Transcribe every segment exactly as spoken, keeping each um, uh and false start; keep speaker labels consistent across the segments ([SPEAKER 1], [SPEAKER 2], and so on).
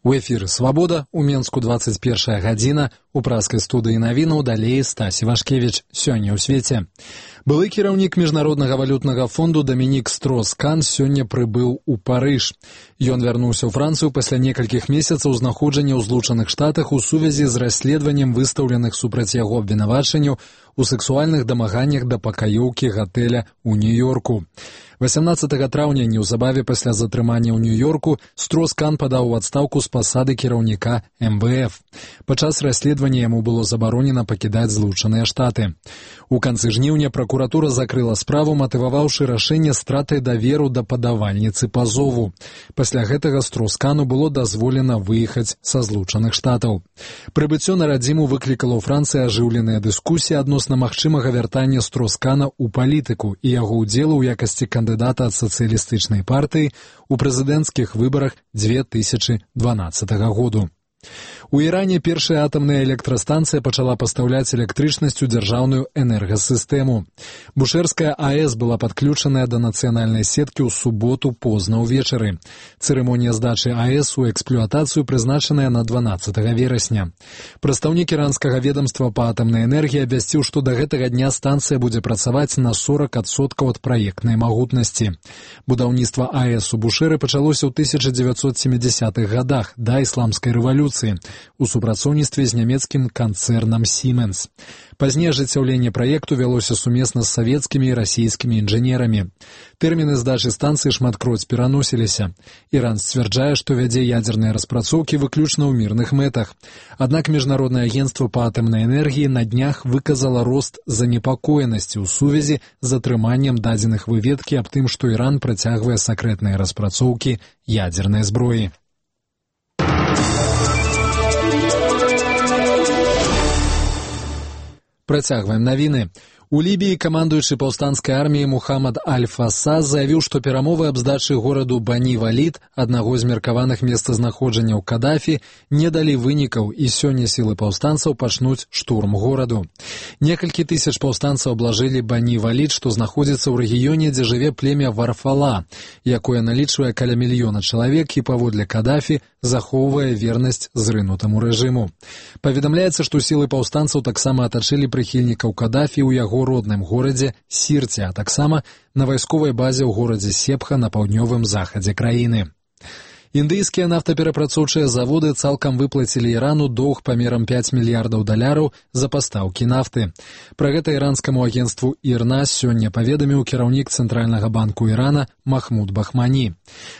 [SPEAKER 1] У эфіры «Свабода», у Менску двадцать першая гадзіна, у праскай студыі навінаў далей Стась Івашкевіч. Сёння ў свеце. Былы кіраўнік Міжнароднага валютнага фонду Дамінік Строскан сёння прыбыў у Парыж. Ён вярнуўся ў Францыю пасля некалькіх месяцаў знаходжання ў Злучаных Штатах у сувязі з расследаваннем выстаўленых супраць яго абвінавачанняў у сексуальных дамаганнях да пакаёўкі гатэля ў Нью-Йорку. васямнаццатага траўня, неўзабаве пасля затрымання ў Нью-Йорку, Строскан падаў у адстаўку з пасады кіраўніка эм вэ эф. Падчас расследавання яму было забаронена пакідаць Злучаныя Штаты. У канцы жніўня пракуратура закрыла справу, матываваўшы рашэнне стратай даверу да падавальніцы пазову. Пасля гэтага Строскану было дазволена выехаць са Злучаных Штатаў. Прыбыццё на радзіму выклікала ў Францыі ажыўленыя дыскусіі адносна магчымага вяртання Строскана ў палітыку і яго ўдзелу ў якасці кандыдата ад сацыялістычнай партыі у прэзідэнцкіх выбарах дзве тысячы дванаццатага году. У Іране першая атамная электрастанцыя пачала пастаўляць электрычнасць у дзяржаўную энергасістэму. Бушэрская АЭС была падключаная да нацыянальнай сеткі ў суботу позна ўвечары. Цырымонія здачы АЭС у эксплуатацыю прызначаная на дванаццатага верасня. Прадстаўнік іранскага ведамства па атамнай энергіі абвясціў, што да гэтага дня станцыя будзе працаваць на сорак адсоткаў ад праектнай магутнасці. Будаўніцтва АЭС у Бушэры пачалося ў тысяча дзевяцьсот сямідзясятых гадах да ісламскай рэвалюцыі у супрацоўніцтве з нямецкім канцэрнам Siemens. Пазней ажыццяўленне праекту вялося сумесна з савецкімі і расійскімі інжынерамі. Тэрміны здачы станцыі шматкроць пераносіліся. Іран сцвярджае, што вядзе ядзерныя распрацоўкі выключна ў мірных мэтах. Аднак Міжнароднае агенцтва па атамнай энергіі на днях выказала рост занепакоенасці ў сувязі з атрыманнем дадзеных выведкі аб тым, што Іран працягвае сакрэтныя распрацоўкі ядзернай зброі. Працягваем навіны. У Лібіі камандуючы паўстанцкай арміі Мухаммад Аль-Фаса заявіў, што перамовы аб здачы гораду Бані-Валід, аднаго з меркаваных месцазнаходжанняў Кадафі, не далі вынікаў, і сёння сілы паўстанцаў пачнуць штурм гораду. Некалькі тысяч паўстанцаў аблажылі Бані-Валід, што знаходзіцца ў рэгіёне, дзе жыве племя Варфала, якое налічвае каля мільёна чалавек і паводле Кадафі захоўвае вернасць зрынутаму рэжыму. Паведамляецца, што сілы паўстанцаў таксама атачылі прыхільнікаў Кадафі ў яго родным горадзе Сірце, а таксама на вайсковай базе ў горадзе Сепха на паўднёвым захадзе краіны. Індыйскія нафтаперапрацоўчыя заводы цалкам выплацілі Ірану доўг памерам пяць мільярдаў даляраў за пастаўкі нафты. Пра гэта іранскаму агенцтву ІРНА сёння паведаміў кіраўнік Цэнтральнага банку Ірана Махмуд Бахмані.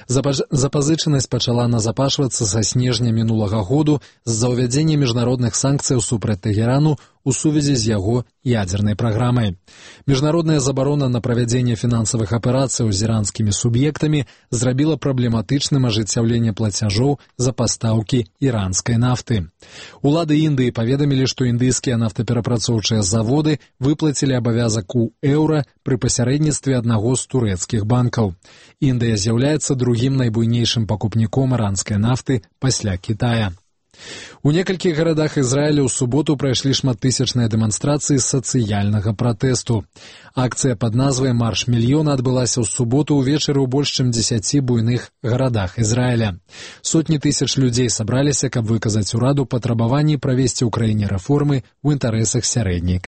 [SPEAKER 1] Запаж... Запазычанасць пачала назапашвацца са снежня мінулага году з-за ўвядзення міжнародных санкцыяў супраць Тэгэрану у сувязі з яго ядзернай праграмай. Міжнародная забарона на правядзенне фінансавых аперацыяў з іранскімі суб'ектамі зрабіла праблематычным ажыццяўленне плацяжоў за пастаўкі іранскай нафты. Улады Індыі паведамілі, што індыйскія нафтаперапрацоўчыя заводы выплацілі абавязак у еўра пры пасярэдніцтве аднаго з турэцкіх банкаў. Індыя з'яўляецца другім найбуйнейшым пакупніком іранскай нафты пасля Кітая. У некалькіх гарадах Ізраіля ў суботу прайшлі шматтысячныя дэманстрацыі сацыяльнага пратэсту. Акцыя пад назвай «Марш мільёна» адбылася ў суботу ўвечары ў больш чым дзесяці буйных гарадах Ізраіля. Сотні тысяч людзей сабраліся, каб выказаць ураду патрабаванні правесці ў краіне рэформы ў інтарэсах сярэдняй